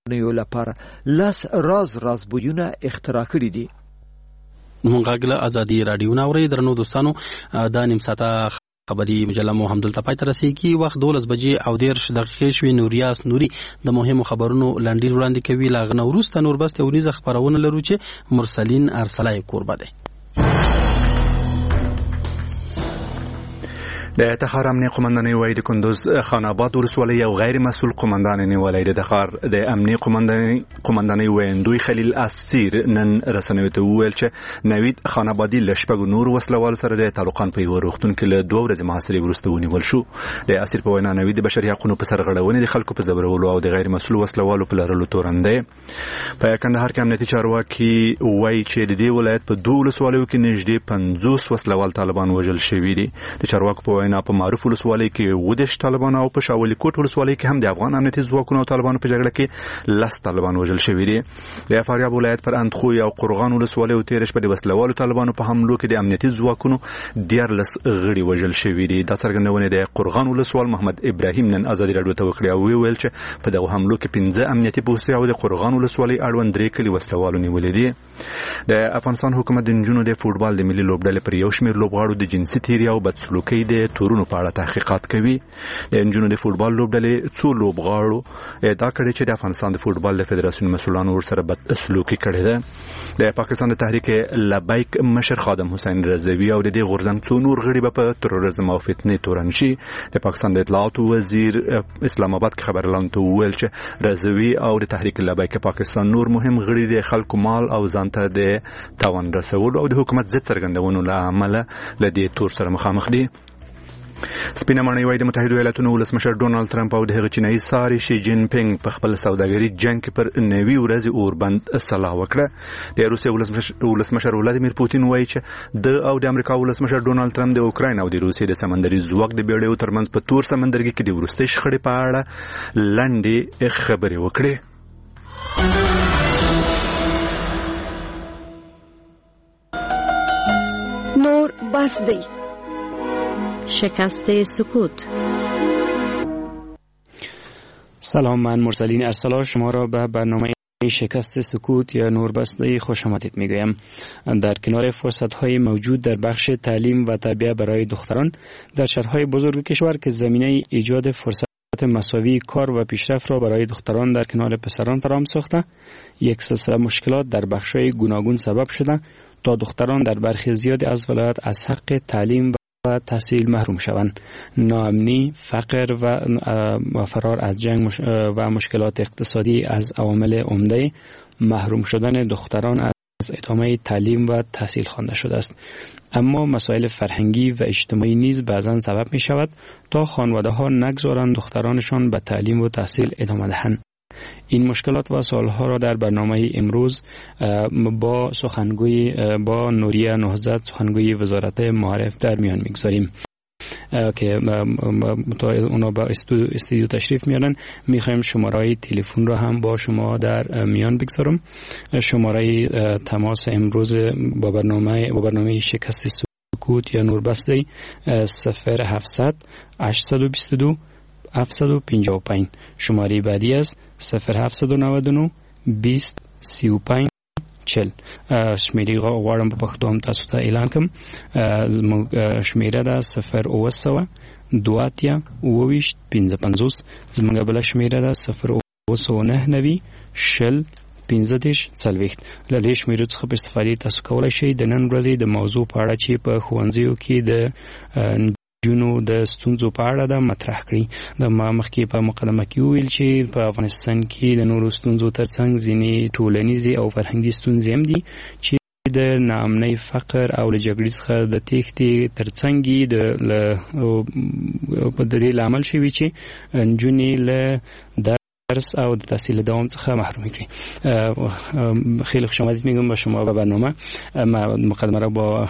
لپاره لس راز راز بویونه اختراع کړي دي. مونږ غږ له ازادي راډیو نه اورئ. درنو دوستانو، دا نیم ساعته خبري مجله مو همدلته پای ته رسیږي. وخت 12 بجې او 30 دقیقې شوې. نوریاس نوري د مهمو خبرونو لنډیز وړاندې کوي. له هغه نه وروسته نور بست اونیزه خپرونه لرو چې مرسلین ارسلای کوربه دی. د تخار امنیه قومندانۍ وایي د کندوز خان آباد ولسوالۍ یو غیر مسؤل قومندان نیولی دی. د تخار د امنیه قومندانۍ ویندوی خلیل اسیر نن رسنیو ته وویل چې نوید خان آبادي له شپږو نورو وسلهوالو سره د تالقان په یوه روغتون کې له 2 ورځې محاصرې وروسته ونیول شو. د اسیر په وینا نوید د بشري حقونو په سرغړونې، د خلکو په ځورولو او د غیر مسؤل وسلهوالو په لرلو تورن دی. په کندهار کې امنیتي چارواکي وایي چې د دې ولایت په 2 ولسوالیو کې نږدې 50 وسلهوال طالبان وژل شوي دي. د چارواکو په وینا په معروف ولسوالۍ کې 37 طالبان او په شاولي کوټ ولسوالۍ کې هم د افغان امنیتي ځواکونو او طالبانو په جګړه کې 10 طالبان وژل شوي دي. د فاریاب ولایت پر اندخوی او قرغان ولسوالیو تېره شپه د وسلهوالو طالبانو په حملو کې د امنیتي ځواکونو 13 غړي وژل شوي دي. دا څرګندونې د قرغان ولسوال محمد ابراهیم نن ازادي راډیو ته وکړې او ویې ویل چې په دغو حملو کې 5 امنیتي پوستې او د قرغان ولسوالۍ اړوند 3 کلي وسلهوالو نیولي دي. د افغانستان حکومت د نجونو د فوټبال د ملي لوبډلې پر یو شمېر لوبغاړو د جنسي تېري او بدسلوکۍ د تورونو په اړه تحقیقات کوي. د نجونو د فوټبال لوبډلې څو لوبغاړو ادعا کړې چې د افغانستان د فوټبال د فدراسیون مسؤلانو ورسره بدسلوکي کړې ده. د پاکستان د تحریک لبیک مشر خادم حسین رضوي او د دې غورځنګ څو نور غړي به په تروریزم او فتنې تورن شي. د پاکستان د اطلاعاتو وزیر اسلام آباد کې خبریالانو ته وویل چې رضوي او د تحریک لبیک پاکستان نور مهم غړي د خلکو مال او ځان ته د تاوان رسولو او د حکومت ضد څرګندونو له امله له دې تور سره مخامخ دي. سپینه ماڼۍ وایي د متحدو ایالتونو ولسمشر ډونالد ترامپ او د هغه چینایي ساري شي جین پینګ په خپل سوداګري جنګ کې پر 90 ورځې اوربند سلا وکړه. د روسیې ولسمشر ولادیمیر پوتین وایي چې د او د امریکا ولسمشر ډونالد ترامپ د اوکراین او د روسیې د سمندري ځواک د بیړیو ترمنځ په تور سمندرګي کې د وروستۍ شخړې په اړه لنډې خبرې وکړې. نور بس دی. شکست سکوت. سلام، من مرسلین ارسلا شما را به برنامه شکست سکوت یا نور بسته خوش آمدید میگویم. در کنار فرصت های موجود در بخش تعلیم و تربیه برای دختران در شهرهای بزرگ کشور که زمینه ایجاد فرصت مساوی کار و پیشرفت را برای دختران در کنار پسران فراهم ساخته، یک سلسله مشکلات در بخش‌های گوناگون سبب شده تا دختران در برخی زیاد از ولایات از حق تعلیم و تحصیل محروم شوند. ناامنی، فقر و فرار از جنگ و مشکلات اقتصادی از عوامل عمده محروم شدن دختران از ادامه تعلیم و تحصیل خوانده شده است. اما مسائل فرهنگی و اجتماعی نیز بعضا سبب می شود تا خانواده ها نگذارند دخترانشان به تعلیم و تحصیل ادامه دهند. این مشکلات و سوالها را در برنامه امروز با سخنگوی با نوریه نهضت، سخنگوی وزارت معارف در میان میگذاریم که اونا با استودیو تشریف میارن. میخوایم شماره تلفن را هم با شما در میان بگذارم. شماره تماس امروز با برنامه شکست سکوت یا نوربسته 0700 822 755. شماره بعدی است 0799 20 35 40. شمیرې غواړم په پښتو هم تاسو ته اعلان کړم. زموږ شمیره ده 0900 2 28 55. زموږ بله شمیره ده 0999 شل 15 40. له دې شمیرو څخه په استفادې تاسو کولی شئ د نن ورځې د موضوع په اړه چې په ښوونځیو کې د نجونو د ستونزو په اړه ده مطرح کړي. د ما مخکې په مقدمه کې وویل چې په افغانستان کې د نورو ستونزو ترڅنګ ځینې ټولنیزې او فرهنګي ستونزې هم دي چې د ناامنۍ، فقر او له جګړې څخه د تېښتې ترڅنګ د دې لامل شوي چې نجونې له درس او د تحصیل دوام څخه محروم کړي. خیلی خوش آمدید میگم با شما به برنامه. ما مقدمه را با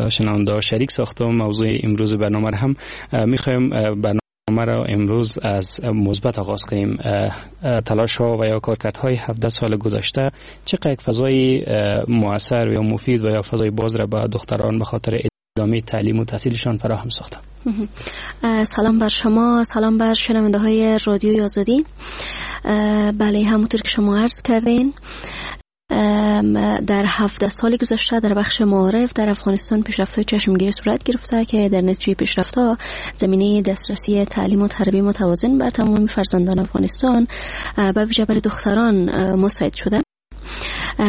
شنونده شریک ساختم. موضوع امروز برنامه را هم میخوایم برنامه را امروز از مثبت آغاز کنیم. تلاش ها و یا کارکردهای 17 سال گذشته چقدر یک فضای مؤثر یا مفید و یا فضای باز را به دختران به خاطر ادامه تعلیم و تحصیلشان فراهم ساخته؟ سلام بر شما، سلام بر شنونده های رادیوی آزادی. بله، همونطور که شما عرض کردین، در 17 سال گذشته در بخش معارف در افغانستان پیشرفت‌های چشمگیر صورت گرفته که در نتیجه پیشرفت‌ها زمینه دسترسی تعلیم و تربیه متوازن بر تمام فرزندان افغانستان به ویژه برای دختران مساعد شده.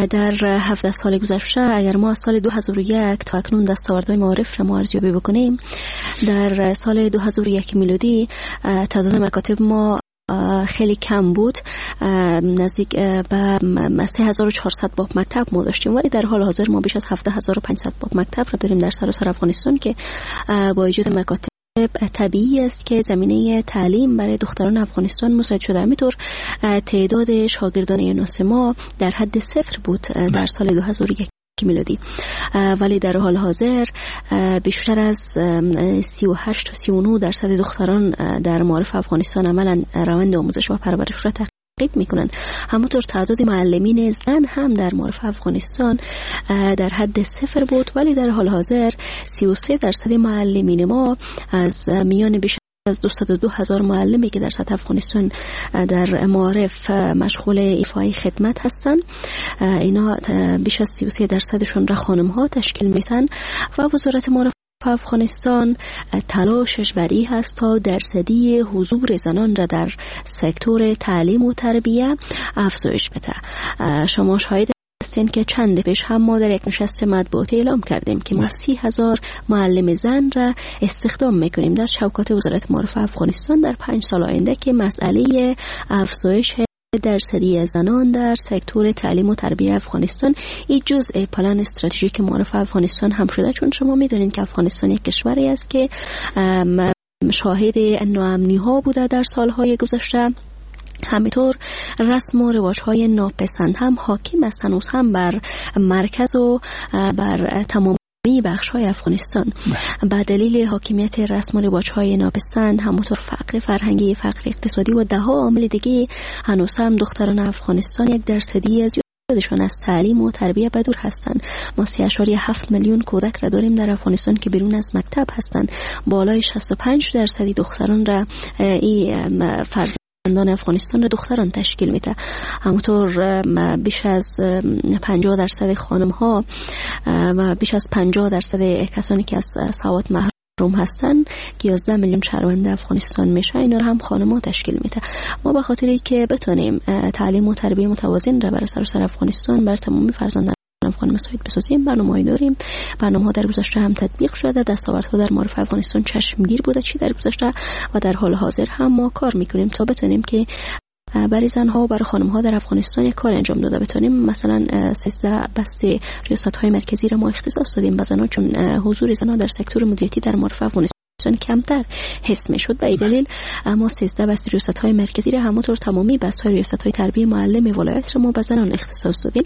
در 17 سال گذشته اگر ما از سال 2001 تا اکنون دستاوردهای معارف را ما ارزیابی بکنیم، در سال 2001 میلادی تعداد مکاتب ما خیلی کم بود، نزدیک به 3400 باب مکتب ما داشتیم، ولی در حال حاضر ما بیش از 17500 باب مکتب را داریم در سراسر افغانستان که با ایجاد مکاتب طبیعی است که زمینه تعلیم برای دختران افغانستان مساعد شده. همینطور تعداد شاگردان یونس ما در حد 0 بود در سال 2001 میلادی، ولی در حال حاضر بیشتر از 38 تا 39% دختران در معارف افغانستان عملا روند آموزش و پرورش را تعقیب میکنن. همونطور تعداد معلمین زن هم در معارف افغانستان در حد 0 بود، ولی در حال حاضر 33% معلمین ما از میان بیش از 202,000 معلمی که در سطح افغانستان در معارف مشغول ایفای خدمت هستند، اینا بیش از 33% را خانم ها تشکیل میتن و وزارت معارف افغانستان تلاشش بر این هست تا درصدی حضور زنان را در سکتور تعلیم و تربیه افزایش بده. شما شاهد هستین که چند پیش هم ما در یک نشست مطبوعاتی اعلام کردیم که ما 30,000 معلم زن را استخدام میکنیم در چوکات وزارت معارف افغانستان در 5 سال آینده که مسئله افزایش درصدی زنان در سکتور تعلیم و تربیه افغانستان این جزء پلان استراتژیک معارف افغانستان هم شده. چون شما میدونین که افغانستان یک کشوری است که شاهد ناامنی ها بوده در سالهای گذشته، همینطور رسم و رواج های ناپسند هم حاکم است هنوز هم بر مرکز و بر تمام بخش های افغانستان. به دلیل حاکمیت رسم و رواج های ناپسند، همونطور فقر فرهنگی، فقر اقتصادی و ده ها عامل دیگه، هنوز هم دختران افغانستان یک درصدی از یادشان از تعلیم و تربیه بدور هستند. ما 3.7 میلیون کودک را داریم در افغانستان که بیرون از مکتب هستند. بالای 65% دختران را این فرزندان افغانستان را دختران تشکیل میده. همونطور بیش از 50% خانم ها و بیش از 50% کسانی که از سواد محروم هستن که 11 میلیون شهروند افغانستان میشه، اینا را هم خانم ها تشکیل میده. ما به خاطری که بتونیم تعلیم و تربیه متوازن را برای سراسر افغانستان بر تمام فرزندان افغان مساعد بسازیم، برنامه‌ای داریم. برنامه‌ها در گذشته هم تطبیق شده، دستاوردها در معارف افغانستان چشمگیر بوده چی در گذشته و در حال حاضر هم ما کار میکنیم تا بتونیم که برای زنها و برای خانم‌ها در افغانستان یک کار انجام داده بتونیم. مثلا 13 بسته ریاست‌های مرکزی را ما اختصاص دادیم به زنها، چون حضور زنها در سکتور مدیریتی در معارف افغانستان کمتر حس می‌شد. به این دلیل ما 13 بسته ریاست‌های مرکزی را همونطور تمامی بسته‌های ریاست‌های تربیه معلم ولایت را ما به زنان اختصاص دادیم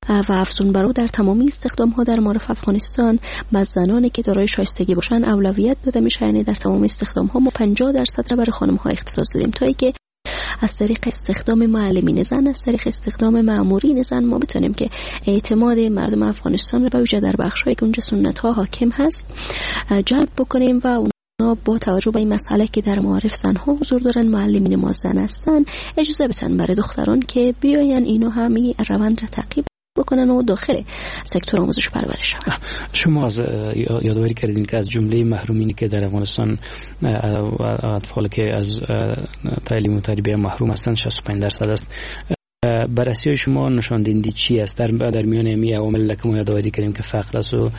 و افزون بر او در تمامی استخدام ها در معارف افغانستان به زنانی که دارای شایستگی باشند اولویت داده میشه. یعنی در تمام استخدام ها ما 50% را برای خانم ها اختصاص دادیم تا اینکه از طریق استخدام معلمین زن، از طریق استخدام مامورین زن ما بتونیم که اعتماد مردم افغانستان را به ویژه در بخش هایی که اونجا سنت ها حاکم هست جلب بکنیم و اونا با توجه به این مسئله که در معارف زنها حضور دارن، معلمین ما زن هستن، اجازه بدن برای دختران که بیاین اینا همین روند را تعقیب بکنن و داخل سکتور آموزش و پرورش شوند. شما از یادآوری کردین که از جمله محرومینی که در افغانستان و اطفال که از تعلیم و تربیه محروم هستند 65% است. بررسی شما نشان دهنده چی است در میان این عوامل که ما یادآوری کردیم که فقر است و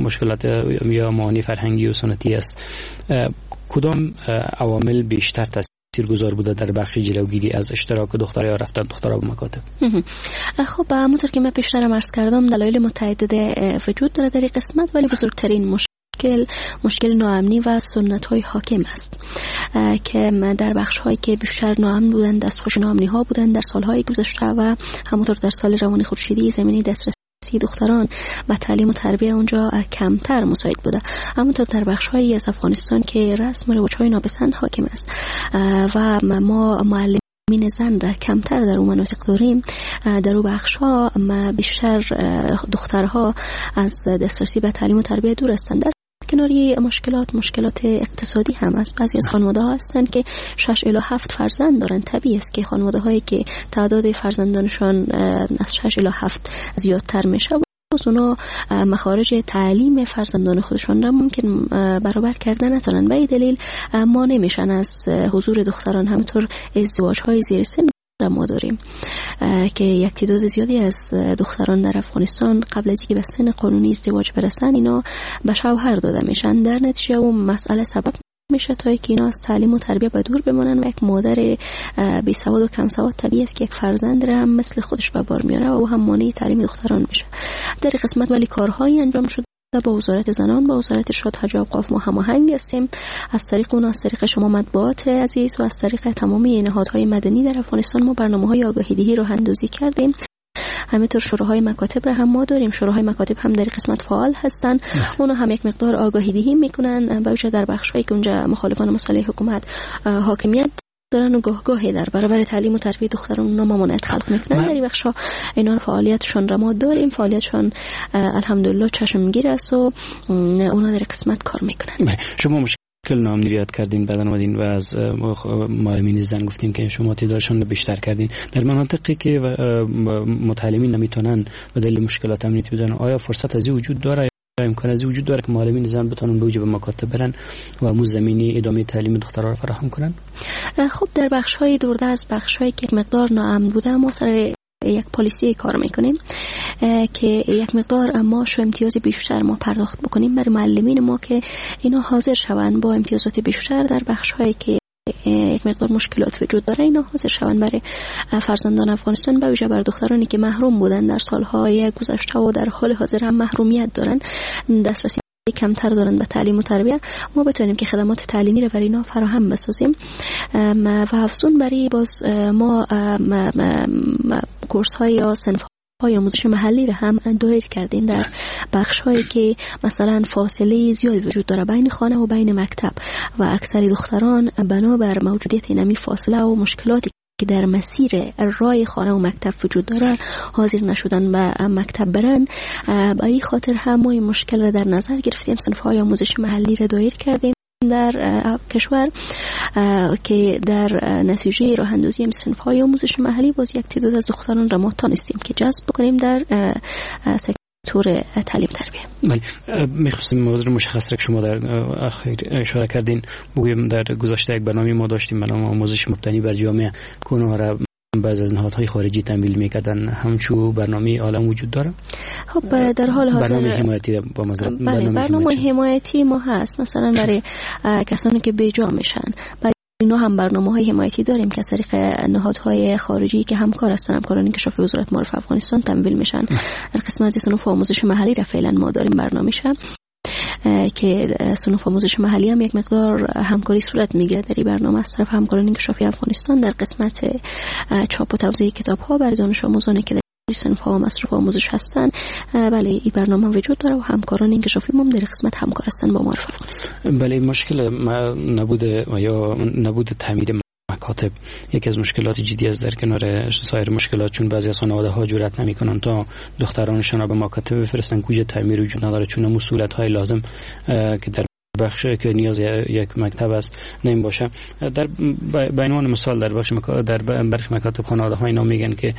مشکلات یا معانی فرهنگی و سنتی است، کدام عوامل بیشتر تاثیرگذار بوده در بخش جلوگیری از اشتراک دخترها یا رفتن دخترها به مکاتب؟ خب همونطور که من پیشترم عرض کردم دلایل متعدد وجود داره در این قسمت، ولی بزرگترین مشکل ناامنی و سنت های حاکم است که در بخش هایی که بیشتر ناامن بودند، دستخوش ناامنی ها بودند در سالهای گذشته و همونطور در سال روان خورشیدی زمینه دسترسی دختران و تعلیم و تربیه اونجا کمتر مساعد بوده. همونطور در بخش هایی از افغانستان که رسم و رواج های ناپسند حاکم است و ما معلمین زن را کمتر در اون مناطق داریم، در اون بخش ها بیشتر دخترها از دسترسی به تعلیم و تربیه دور هستند. در کناری مشکلات اقتصادی هم است. بعضی از خانواده ها هستند که 6 الی 7 فرزند دارند. طبیعی است که خانواده هایی که تعداد فرزندانشان از 6 الی 7 زیادتر میشه، باز اونا مخارج تعلیم فرزندان خودشان را ممکن برابر کردن نتونن. به این دلیل ما نمیشن از حضور دختران. همینطور ازدواج های زیر سن ما داریم که یک تعداد زیادی از دختران در افغانستان قبل از اینکه به سن قانونی ازدواج برسن اینا به شوهر داده میشن. در نتیجه اون مسئله سبب میشه تا اینکه اینا از تعلیم و تربیت به دور بمانن و یک مادر بی سواد و کم سواد طبیعی است که یک فرزند را هم مثل خودش به بار میاره و او هم مانع تعلیم دختران میشه. در قسمت ولی کارهایی انجام شد با وزارت زنان، با وزارت ارشاد حج و اوقاف ما هماهنگ هستیم. از طریق اون، از طریق شما مطبوعات عزیز و از طریق تمامی نهادهای مدنی در افغانستان ما برنامه‌های آگاهی دهی راه اندازی کردیم. همینطور شوراهای مکاتب را هم ما داریم. شوراهای مکاتب هم در قسمت فعال هستن. اونا هم یک مقدار آگاهی دهی میکنن، به ویژه در بخش‌هایی که اونجا مخالفان مسئله حکومت حاکمیت دارن و گاه گاهی در برابر تعلیم و تربیت دختران اونا ممانعت خلق میکنن. در این بخش‌ها اینا فعالیتشان را ما داریم. فعالیتشان الحمدلله چشمگیر است و اونا در قسمت کار میکنن. شما مشکل نامدیریت کردین، بعد آمدین و از معلمین زن گفتین که شما تعدادشان رو بیشتر کردین. در مناطقی که متعلمین نمیتونن به دلیل مشکلات امنیتی بدن، آیا فرصت از وجود داره، امکان از وجود داره که معلمین زن بتونن به وجه به مکاتب برن و مو زمینی ادامه تعلیم دخترها رو فراهم کنن؟ خب در بخش‌های دورده از بخش‌هایی که مقدار ناامن بوده ما سر یک پالیسی کار میکنیم که یک مقدار معاش و امتیاز بیشتر ما پرداخت بکنیم برای معلمین ما که اینا حاضر شوند با امتیازات بیشتر در بخش‌هایی که یک مقدار مشکلات وجود داره، اینا حاضر شوند برای فرزندان افغانستان، به ویژه بر دخترانی که محروم بودن در سالهای گذشته و در حال حاضر هم محرومیت دارن، دسترسی کمتر دارن به تعلیم و تربیت، ما بتونیم که خدمات تعلیمی رو برای اینا فراهم بسازیم. و افزون برای باز ما کورس های یا صنف های آموزش محلی را هم دایر کردیم در بخش هایی که مثلا فاصله زیاد وجود داره بین خانه و بین مکتب و اکثر دختران بنابر موجودیت اینمی فاصله و مشکلاتی که در مسیر راه خانه و مکتب وجود داره حاضر نشدن به مکتب برن. به این خاطر هم ما این مشکل را در نظر گرفتیم، صنف های آموزش محلی را دایر کردیم در کشور که در نتیجه راه اندازی صنف های آموزش محلی باز یک تعداد از دختران را ما تانستیم که جذب بکنیم در سکتور تعلیم تربیه. بله، میخواستیم موضوع مشخص را که شما در اخیر اشاره کردین بگویم. در گذشته یک برنامه ما داشتیم به نام آموزش مبتنی بر جامعه که اونها را بعض از نهادهای خارجی تمویل میکردن. همچو برنامه عالم وجود داره؟ خب در حال حاضر برنامه حمایتی با مزرعه، بله، برنامه حمایتی ما هست، مثلا برای کسانی که بیجا میشن، برای اینا هم برنامه‌های حمایتی داریم که از طریق نهادهای خارجی که همکار هستن، همکاران انکشاف وزارت معارف افغانستان تمویل میشن. در قسمت صنوف آموزش محلی را فعلا ما داریم برنامه‌ش که صنوف آموزش محلی هم یک مقدار همکاری صورت میگیره در این برنامه از طرف همکاران انکشافی افغانستان در قسمت چاپ و توزیع کتاب‌ها برای دانش آموزانی که در صنف ها و مصروف آموزش هستن. بله، این برنامه وجود داره و همکاران انکشافی ما در قسمت همکار هستن با معارف افغانستان. بله، مشکل نبود یا نبود تعمیر مکاتب یکی از مشکلات جدی است در کنار سایر مشکلات، چون بعضی از خانواده ها جرئت نمیکنن تا دخترانشان را به مکاتب بفرستن، کوجه تعمیر وجود نداره، چون اون صورت های لازم که در بخش که نیاز یک مکتب است نمی باشه. در به عنوان مثال در بخش در برخی مکاتب خانواده ها اینا میگن که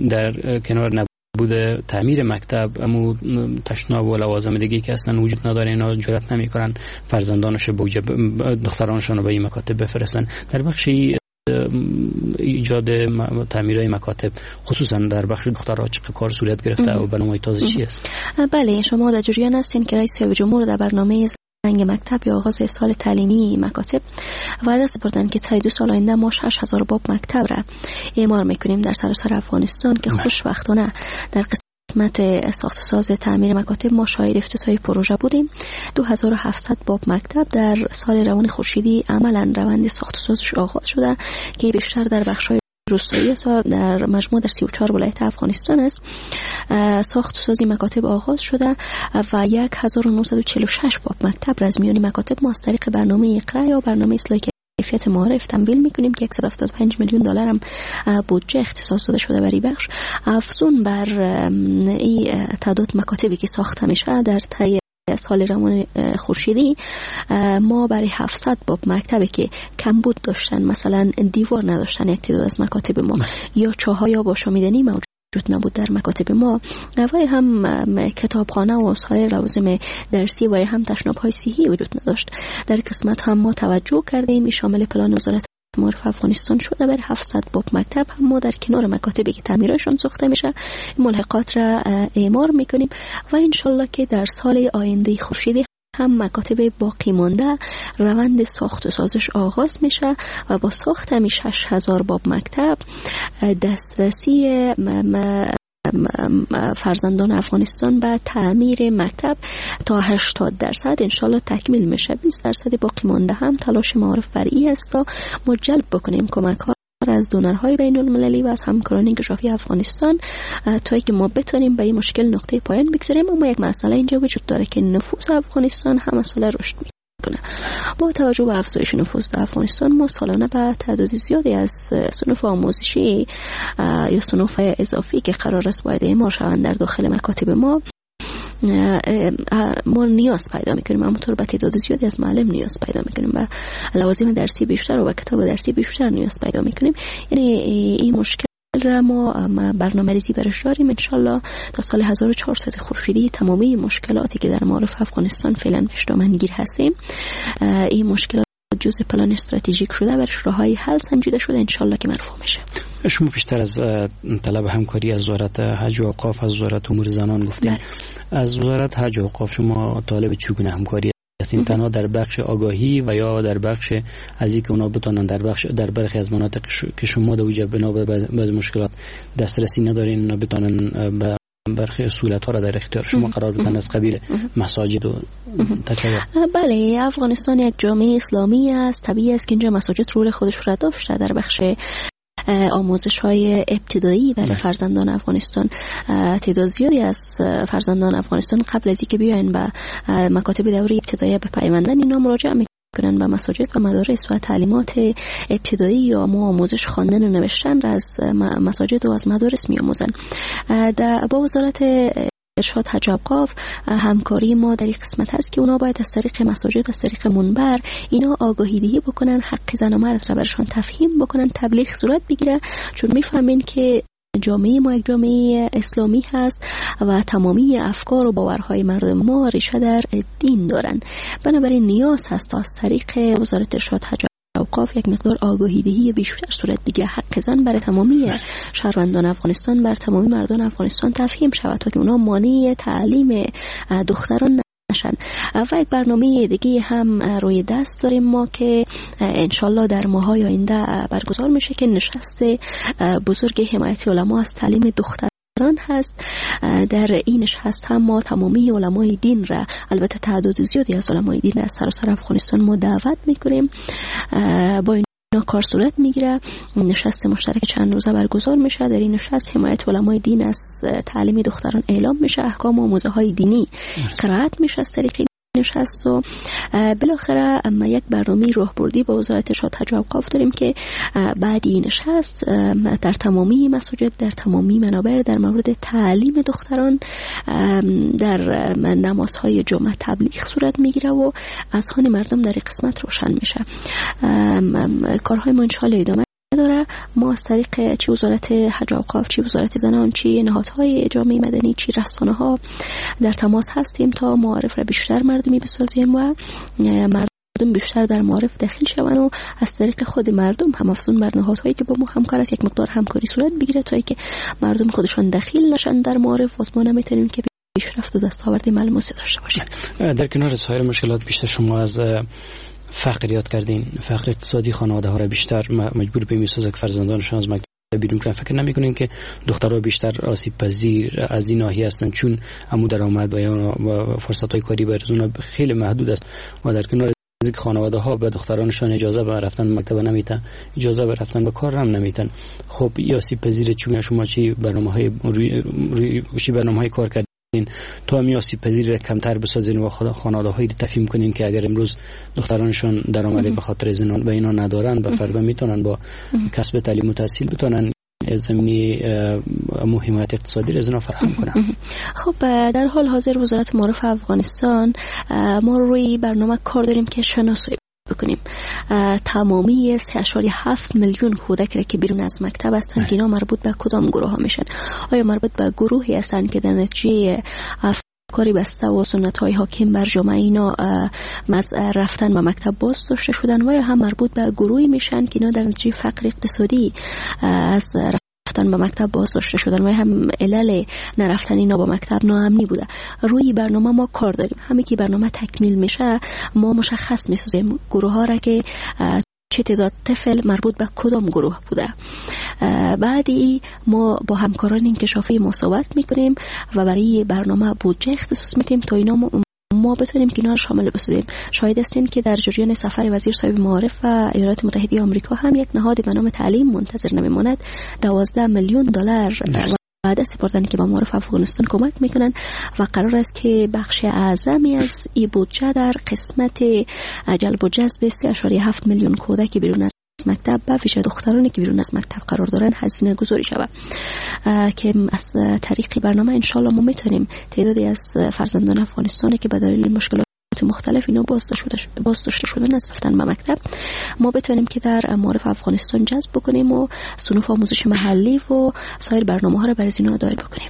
در کنار نبود تعمیر مکتب امو تشناب و لوازم دیگه که اصلا وجود نداره، اینا جرئت نمیکنن فرزندانش به دخترانشون رو به این مکاتب بفرستن. در بخش ایجاد تعمیرهای مکاتب خصوصا در بخش دخترها چه کار صورت گرفته و برنامه‌های تازه چی است؟ بله، شما در جریان هستین که رئیس جمهور در برنامه زنگ مکتب یا آغاز سال تعلیمی مکاتب وعده سپردن که تا 2 سال آینده ما 6000 باب مکتب را اعمار میکنیم در سراسر افغانستان که خوشبختانه در قسمت ساخت و ساز تعمیر مکاتب ما شاهد افتتاح پروژه بودیم. 2700 باب مکتب در سال روان خورشیدی عملا روند ساخت و سازش آغاز شده که بیشتر در بخش‌های روستایی است و در مجموع در 34 ولایت افغانستان است. ساخت و سازی مکاتب آغاز شده و 1946 باب مکتب را از میان مکاتب ما از طریق برنامه اقرا یا برنامه اصلاح کیفیت معارف تمویل میکنیم که 175 میلیون دلار هم بودجه اختصاص داده شده برای بخش. افزون بر این تعداد مکاتبی که ساخته میشه در طی سال روان خورشیدی ما برای 700 باب مکتبی که کمبود داشتن، مثلا دیوار نداشتن یک تعداد از مکاتب ما، یا چاهای یا آشامیدنی موجود نبود در مکاتب ما، و هم کتابخانه و سایر لوازم درسی و هم تشناب‌های صحی وجود نداشت. در قسمت هم ما توجه کردیم، شامل پلان وزارت معارف افغانستان شده. بر 700 باب مکتب هم ما در کنار مکاتبی که تعمیرشان ساخته میشه ملحقات را اعمار میکنیم و انشالله که در سال آینده خورشیدی هم مکاتب باقی مانده روند ساخت و سازش آغاز میشه و با ساخت همی 6000 باب مکتب دسترسی فرزندان افغانستان به تعمیر مکتب تا 80% انشالله تکمیل میشه. 20% باقی مانده هم تلاش معارف بر ای است تا ما جلب بکنیم کمک ها از دونرهای بین المللی و از همکاران انکشافی افغانستان تا که ما بتونیم به این مشکل نقطه پایان بگذاریم. اما یک مسئله اینجا وجود داره که نفوس افغانستان هم مسئله رشد میکنه. با توجه به افزایش نفوس در افغانستان ما سالانه به تعداد زیادی از صنوف آموزشی یا صنوف اضافی که قرار است باید اعمار شوند در داخل مکاتب ما ما نیاز پیدا میکنیم. همونطور به تعداد زیادی از معلم نیاز پیدا میکنیم و لوازم درسی بیشتر و کتاب درسی بیشتر نیاز پیدا میکنیم. یعنی این مشکل را ما برنامه ریزی برش داریم. انشالله تا سال 1400 خورشیدی تمامی مشکلاتی که در معارف افغانستان فعلا بهش دامنگیر هستیم، این مشکلات جزء پلان استراتژیک شده، برش راههای حل سنجیده شده، انشالله که مرفوع میشه. شما بیشتر از طلب همکاری از وزارت حج و اوقاف، از وزارت امور زنان گفتین. از وزارت حج و اوقاف شما طالب چگونه همکاری هستین؟ تنها در بخش آگاهی و یا در بخش از اینکه اونا بتونن در بخش در برخی از مناطق که شما در اوجه بنا به بعض مشکلات دسترسی ندارین، اونا بتونن به برخی سهولت‌ها را در اختیار شما قرار بدن از قبیل مساجد و تکیه؟ بله، افغانستان یک جامعه اسلامی است، طبیعی است که اینجا مساجد رول خودش را داشته در بخش آموزش های ابتدایی برای فرزندان افغانستان. تعداد زیادی از فرزندان افغانستان قبل از اینکه بیاین به مکاتب دوره ابتدایی بپیوندن، اینا مراجعه میکنن به مساجد و مدارس و تعلیمات ابتدایی یا ما آموزش خواندن و نوشتن را از مساجد و از مدارس میآموزن. با وزارت ارشاد حج اوقاف همکاری ما در این قسمت هست که اونا باید از طریق مساجد، از طریق منبر اینا آگاهی دهی بکنن، حق زن و مرد را برشان تفهیم بکنن، تبلیغ صورت بگیره، چون میفهمین که جامعه ما یک جامعه اسلامی هست و تمامی افکار و باورهای مردم ما ریشه در دین دارن. بنابراین نیاز هست تا از طریق وزارت ارشاد حج اوقاف یک مقدار آگاهی دهی بیشتر صورت بگیره، حق زن برای تمامی شهروندان افغانستان، بر تمامی مردان افغانستان تفهیم شود تا که اونا مانع تعلیم دختران نشن. و یک برنامه دیگه هم روی دست داریم ما که انشالله در ماهای آینده برگزار میشه که نشست بزرگ حمایت علما از تعلیم دختران هست. در این نشست هم ما تمامی علمای دین را، البته تعداد زیادی از علمای دین از سراسر افغانستان ما دعوت میکنیم، با اینا کار صورت میگیره. نشست مشترک چند روزه برگزار میشه. در این نشست حمایت علمای دین از تعلیم دختران اعلام میشه، احکام و آموزه های دینی قرائت میشه از طریق نشست و بالاخره اما یک برنامه راهبردی با وزارت ارشاد حج و اوقاف داریم که بعد این نشست در تمامی مساجد، در تمامی منابر در مورد تعلیم دختران در نمازهای جمعه تبلیغ صورت میگیره و اذهان مردم در قسمت روشن میشه. کارهای ما انشالله ادامه داره. ما از طریق چی وزارت حج و اوقاف، چی وزارت زنان، چی نهادهای جامعه مدنی، چی رسانه ها در تماس هستیم تا معارف را بیشتر مردمی بسازیم و مردم بیشتر در معارف داخل شوند و از طریق خود مردم هم افزون بر نهادهایی که با ما همکار است یک مقدار همکاری صورت بگیره تا اینکه مردم خودشان دخیل نشن در معارف. و ما نمیتونیم که پیشرفت و دستاورد ملموسی داشته باشیم. در کنار سایر مشکلات بیشتر شما از فقر یاد کردین، فقر اقتصادی خانواده ها را بیشتر مجبور به میسازه که فرزندانشان از مکتب بیرون کنن. فکر نمی‌کنین که دخترها بیشتر آسیب پذیر از این ناحیه هستند، چون عمو درآمد و یا فرصت‌های کاری برای اونها خیلی محدود است و در کنار از اینکه خانواده ها به دخترانشان اجازه به رفتن مکتب نمیتن، اجازه به رفتن به کار هم نمیتن. خب این آسیب پذیر چون شما چی برنامه‌های روی برنامه‌های کار کردین تا می آسیب پذیر کمتر بسازین و خانواده هایی تفهیم کنین که اگر امروز دخترانشان درآمد به خاطر زنان به اینا ندارن، به فردا میتونن با کسب تعلیم و تحصیل بتونن زمینه حمایت اقتصادی از فراهم کنه. خب، در حال حاضر وزارت معارف افغانستان ما روی برنامه کار داریم که شناسایی بکنیم تمامی 3.7 میلیون کودک را که بیرون از مکتب هستند که اینا مربوط به کدام گروه ها میشن. آیا مربوط به گروهی هستند که در نتیجه افکاری بسته و سنت های حاکم بر جامعه اینا از رفتن به مکتب باز داشته شدن، و یا هم مربوط به گروهی میشن که اینا در نتیجه فقر اقتصادی از رفتن به مکتب باز داشته شدن و هم علل نرفتن اینا با مکتب ناامنی بوده. روی برنامه ما کار داریم. همه که برنامه تکمیل میشه ما مشخص میسازیم گروه ها را که چه تعداد طفل مربوط به کدام گروه بوده. بعدی ما با همکاران انکشافی مصاحبت میکنیم و برای برنامه بودجه اختصاص میدیم تا اینا ما بتونیم که اینا رو شامل بسازیم. شاهد هستیم که در جریان سفر وزیر صاحب معارف و ایالات متحده آمریکا هم یک نهاد به نام تعلیم منتظر نمیماند 12 میلیون دلار وعده سپردن که به معارف افغانستان کمک میکنن و قرار است که بخش اعظمی از این بودجه در قسمت جلب و جذب 3.7 میلیون کودک بیرون از مکتب به ویژه دخترانی که بیرون از مکتب قرار دارن هزینه گذاری شود که از طریق برنامه انشالله ما میتونیم تعدادی از فرزندان افغانستان که به دلیل مشکلات مختلف اینا باز داشته شدن از رفتن به مکتب ما بتونیم که در معارف افغانستان جذب بکنیم و صنوف آموزش محلی و سایر برنامه ها را برای اینا دایر بکنیم.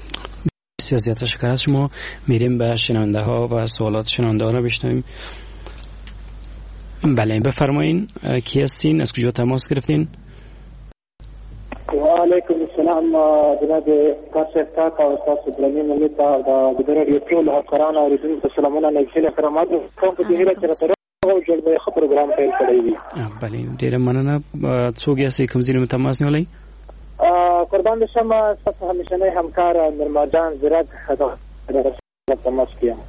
بسیار زیاد تشکر از شما. میریم به شنونده ها و سوالات شنونده ها را بشنویم. بله، بفرمایین کی هستین، از کجا تماس گرفتین؟ و علیکم السلام جناب کار صاحب او تاسو درنې ملي ته د راډیو ټول همکارانو اورېدونکو ته سلامونه، نیکې احترامات کوم. په دې هیله چې راته روغ جوړ به ښه پروګرام پیل کړی وي. بله، ډېره مننه. څوک یاست، کوم ځای نه تماس نیولی؟ قربان دې شم، ستاسو همیشنی همکار نرما جان زیرک تماس کې یم.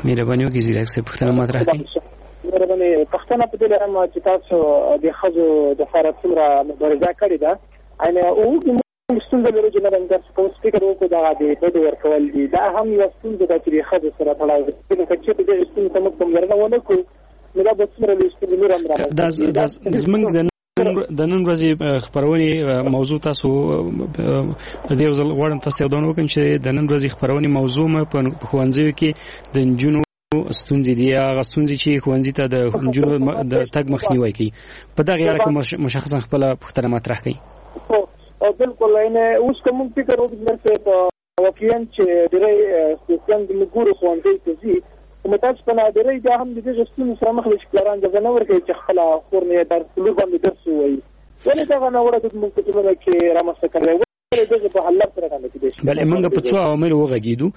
مهرباني وکړئ زیرک صاحب، پوښتنه مطرح کړئ. مهرباني، پوښتنه په دې لرم چې تاسو د ښځو دپاره څومره مبارزه کړې ده؟ یعنې موږ ستونزه لرو چې نه درس کوم فکر وکړو، دغه د بدو ورکول دي، دا هم یوه ستونزه ده چې د ښځو سره تړاو لري. که چېرته دغې ستونزې ته موږ پاملرنه ونه کړو نو دا به څومره لوی ستونزې نور هم رامنځته. زموږ د نن ورځې خپرونې موضوع تاسو زه یو ځل غواړم تاسو یادونه وکړم چې د نن ورځې خپرونې موضوع مې په ښوونځیو کې د نجونو ستونزې دي، هغه ستونزې چې ښوونځي ته د نجونو د تګ مخنیوی کوي. په دغه اړه کې مشخصا خپله پوښتنه مطرح کړئ. بالکل، یعنې اوس که موږ فکر وکړو واقعا چې ډېری ستونزې موږ ګورو ښوونځیو ته ځي، خو متاسفانه ډېری بیا هم د دغې ستونزې سره مخ دي چې پلاران اجازه نه ورکوي چې خپله خور مې درس لور باندې درس ووایي. ولې دغه ناوړه دود موږ په ټولنه کې رامنځته کړی؟ ولې دغه په حل سره باندې کېدای شي؟ بله، موږ په څو عواملو وغږېدو.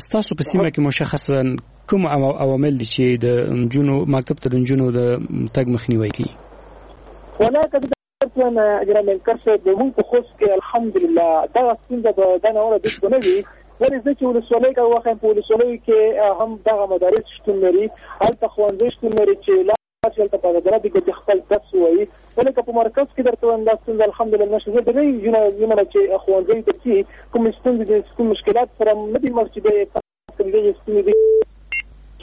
ستاسو په سیمه کې مشخصا کوم عوامل دي چې د نجونو مکتب ته د نجونو د تګ مخنیوی کوي؟ ولا که جناب انکر صاحب، موږ په خوست کې الحمدلله دغه ستونزه به دا ناوړه دود به نه وي. ولې زه چې ولسوالۍ کې وښیم، په ولسوالیو کې هم دغه مدارس شتون لري، هلته ښوونځي شتون لري چې لاړ شي هلته په ازادي کې خپل درس ووایي. ولې که په مرکز کې درته وایم دا ستونزه الحمدلله نشته. زه ډېری نجونو چې ښوونځیو ته ځي کومې ستونزې دي، کوم مشکلات سره نه دي مخ چې دغې ستونزې دي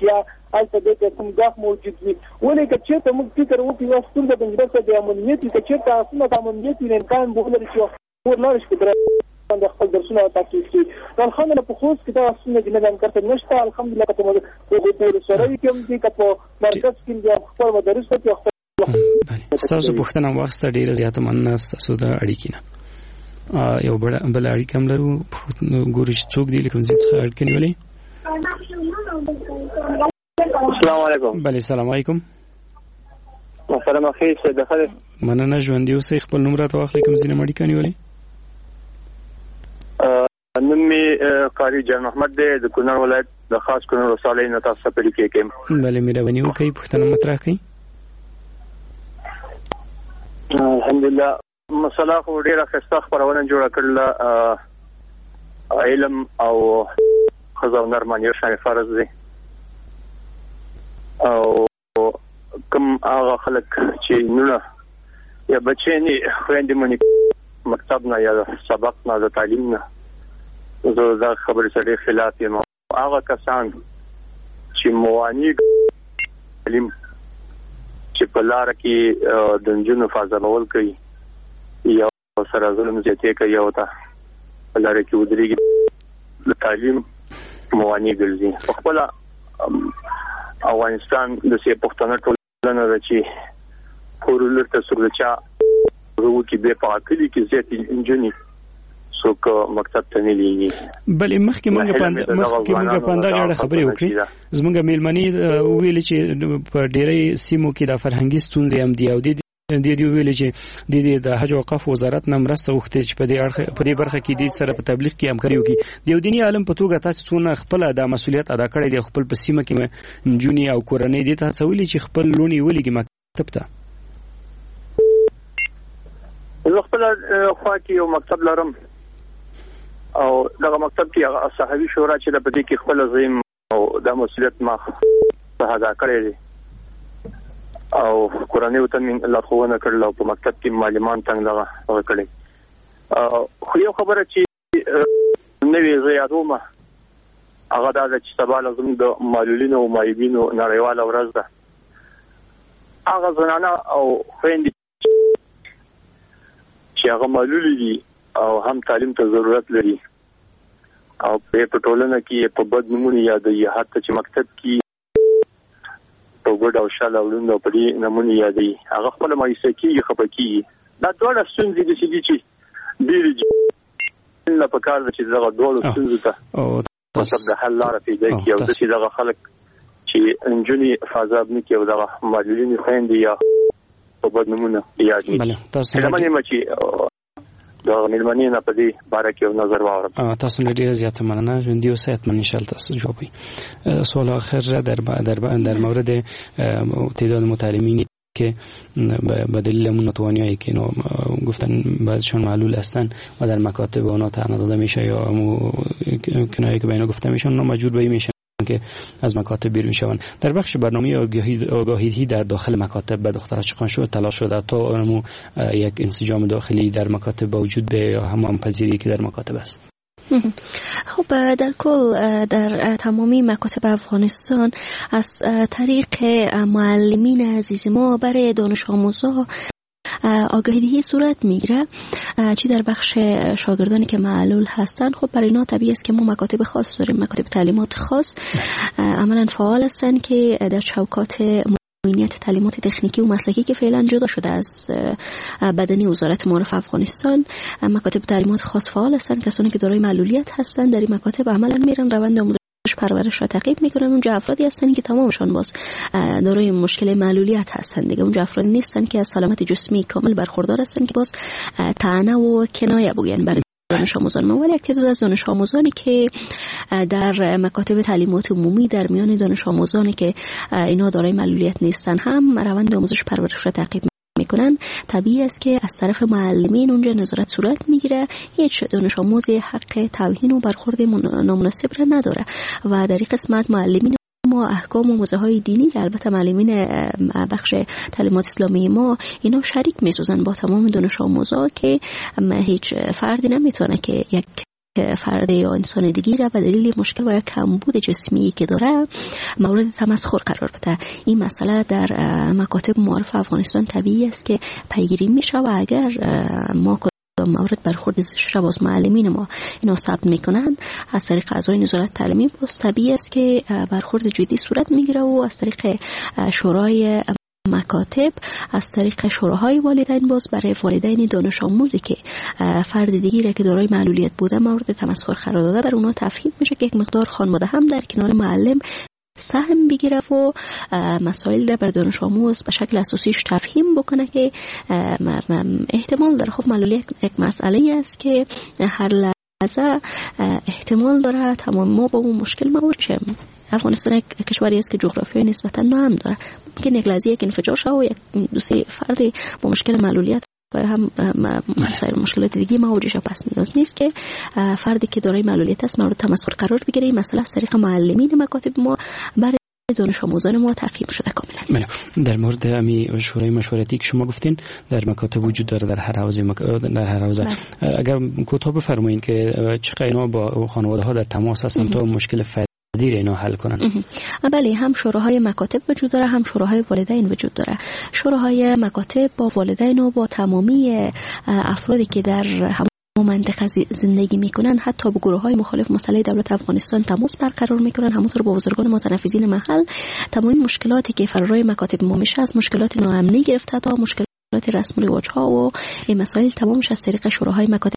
یا هلته دې ته کوم ګواښ موجود وي. ولې که چېرته موږ فکر وکړو یوه ستونزه د نجونو د امنیت وي، که چېرته هغه ستونزه د امنیت وي امکان به ولري چې مور لاړ شي په باندې خپل درسونه تعقیب کړي. نو الحمدلله په خوست کې دا ستونزه چې نه انکار ته نشته. الحمدلله که په ولسوالیو کې هم دي، که په مرکز کې دي، خپل مدارس کې خپل. ستاسو پوښتنه واخیسته، ډېره زیاته مننه ستاسو د اړیکې نه. یو بله اړیکه هم لرو، ګورو چې څوک دي، له کوم ځای څخه اړیکه نیولې. السلام علیکم. بله، سلام علیکم. محترم اخی صاحب بخیر. مننه، ژوندي اوسئ. خپل نوم راته واخلئ، کوم ځای نه مو اړیکه نیولې؟ نوم مې قاري جان محمد دی، د کونړ ولایت د خاص کونړ ولسوالۍ نه تاسو ته په اړیکه کې یم. بله، مهرباني وکړئ پوښتنه مطرح کړئ. الحمدلله، مسله خو ډېره ښایسته خپرونه جوړه کړله. علم او ښځه او نر باندې یو شان فرض دی، او کوم هغه خلک چې نونه یا بچی نه خویندې مونږ مکتب نه یا سبق نه د تعلیم نه، زه دا خبرې سره ډېر خلاف یم. هغه کسان چې موانع تعلیم چې په لاره کې د نجونو فاضلول کوي یا سره ظلم زیاتی کوي او ته په لاره کې ودرېږي، د تعلیم موانع ګرځي. په خپله افغانستان د سې پښتنه ټولنه ده چې کور لور ته څوک د چا وکړي، بیا په کلي کې زیاتې نجونې څوک مکتب ته نه لیږي. بلې، مخکې مونږ په همدغه اړه خبرې وکړې. زمونږ میلمنې وویل چې په ډیری سیمو کې د فرهنګي ستونزې هم دي، او دې دې ویل چې د دې د حج او اوقاف وزارت نه مرسته غوښتي چې په دې اړه، په دې برخه کې دې سره په تبلیغ کې همکاري وکړي. د یو دیني عالم په توګه تاسو څونه خپل دا مسولیت ادا کړی دی، خپل په سیمه کې نجونې او کورنۍ دې ته هڅولي چې خپل لوڼې ولیږي مکتب ته؟ زه خپل خوا کې یو مکتب لرم، او دغه مکتب کې هغه صحابي شورا چې د په دې کې خپل زیم او دا مسولیت ما ادا کړی دی، او کورنیو ته مې لارښوونه کړله، او په مکتب کې معلمان څنګه دغه کړی. خو یو خبره چې نوې زه یادوم هغه دا ده چې سبا له زموږ د معلولینو او معیوبینو نړیواله ورځ ده. هغه زنانه او خویندې چې هغه معلولې دي او هم تعلیم ته ضرورت لري، او په ټولنه کې په بد نومونو یادوي، حتی چې مکتب کې په ګډ او شل او لوند او په دې نمونې یادوي، هغه خپله مایوسه کېږي، خفه کېږي. دا دواړه ستونزې داسې دي چې ډېرې نه په کار ده چې دغه دواړو ستونزو ته مطلب د حل لاره پیدا کړي، او داسې دغه خلک چې نجونې فازاب نه کړي او دغه معلولینې خویندې یا په بد نومونه یاد نه کړي. هیله من یم چې د میلمنې نه په دې باره کې یو نظر واورم. تاسو نه ډیره زیاته مننه، ژوندي اوسئ. حتما ان شاء الله تاسو جواب وي. سوال آخر در در در مورد تعداد متعلمینی که به دلیل اون ناتوانیایی که اینا گفتن بعضشون معلول هستن و در مکاتب اونا طعنه داده میشه یا کنایه که به اینا گفته میشه، اونا مجبور به این میشن که از مکاتب بیرون شوند. در بخش برنامه آگاهی در داخل مکاتب به دخترها چقدر شد تلاش شده تا اونمو یک انسجام داخلی در مکاتب با وجود به یا هم پذیری که در مکاتب است؟ خب، در کل در تمامی مکاتب افغانستان از طریق معلمین عزیز ما برای دانش آموزها آگاهی دهی صورت میگیره، چی در بخش شاگردانی که معلول هستند. خب برای اینا طبیعی است که ما مکاتب خاص داریم، مکاتب تعلیمات خاص عملا فعال هستند که در چوکات معینیت تعلیمات تکنیکی و مسلکی که فعلا جدا شده از بدنی وزارت معارف افغانستان، مکاتب تعلیمات خاص فعال هستند. کسانی که دارای معلولیت هستند در این مکاتب عملا میرن، روند آموزش پرورش را تعقیب میکنن. اونجا افرادی هستن که تمامشان باز دارای مشکل معلولیت هستند دیگه، اونجا افرادی نیستن که از سلامت جسمی کامل برخوردار هستن که باز طعنه و کنایه بگوین برای دانش آموزان ما. ولی یک تعداد از دانش آموزانی که در مکاتب تعلیمات عمومی در میان دانش آموزانی که اینا دارای معلولیت نیستن هم روند آموزش پرورش را تعقیب میکنن، طبیعی است که از طرف معلمین اونجا نظارت صورت میگیره. هیچ دانش آموزی حق توهین و برخورد نامناسب را نداره و در این قسمت معلمین ما احکام و موضوع های دینی، البته معلمین بخش تعلیمات اسلامی ما اینا شریک میسازن با تمام دانش آموزا که هیچ فردی نمیتونه که یک فرد یا انسان دیگه را به دلیل مشکل و یا کمبود جسمی که داره مورد تمسخر قرار بده. این مسئله در مکاتب معارف افغانستان طبیعی است که پیگیری میشه و اگر ما مورد برخورد زشت را باز معلمین ما اینا ثبت میکنن از طریق اعضای نظارت تعلیمی، باز طبیعی است که برخورد جدی صورت میگیره و از طریق شورای مکاتب، از طریق شوراهای والدین باز برای والدین دانش آموزی که فرد دیگری را که دارای معلولیت بوده مورد تمسخر قرار داده بر اونا تفهیم میشه که یک مقدار خانواده هم در کنار معلم سهم بگیره و مسائل را بر دانش آموز به شکل اساسیش تفهیم بکنه که احتمال داره. خب معلولیت یک مسئله است که هر لحظه احتمال داره تمام ما با اون مشکل مواجه. افغانستان یک کشوری است که جغرافیای نسبتا ناامن داره، ممکن یک لحظه یک انفجار شود و یک دو سه فرد با مشکل معلولیت و هم سایر مشکلات دیگه مواجه شود. پس نیاز نیست که فردی که دارای معلولیت است مورد تمسخر قرار بگیره. این مسئله از طریق معلمین مکاتب ما برای دانش آموزان ما تفهیم شده کاملا. بله، در مورد امی شورای مشورتی که شما گفتین در مکاتب وجود داره در هر حوزه در هر حوزه، اگر کوتاه بفرمایید که چقدر اینا با خانواده ها در تماس هستن تا مشکل اینا حل کنن؟ بله، هم شوراهای مکاتب وجود داره، هم شوراهای والدین وجود داره. شوراهای مکاتب با والدین و با تمامی افرادی که در هم منطقه زندگی میکنن، حتی با گروه های مخالف مسلح دولت افغانستان تماس برقرار میکنن، همونطور با بزرگان متنفذین محل. تمام مشکلاتی که فرارای مکاتب ما میشه، از مشکلات ناامنی گرفته تا مشکلات رسم و رواج ها و این مسائل، تمامش از طریق شوراهای مکاتب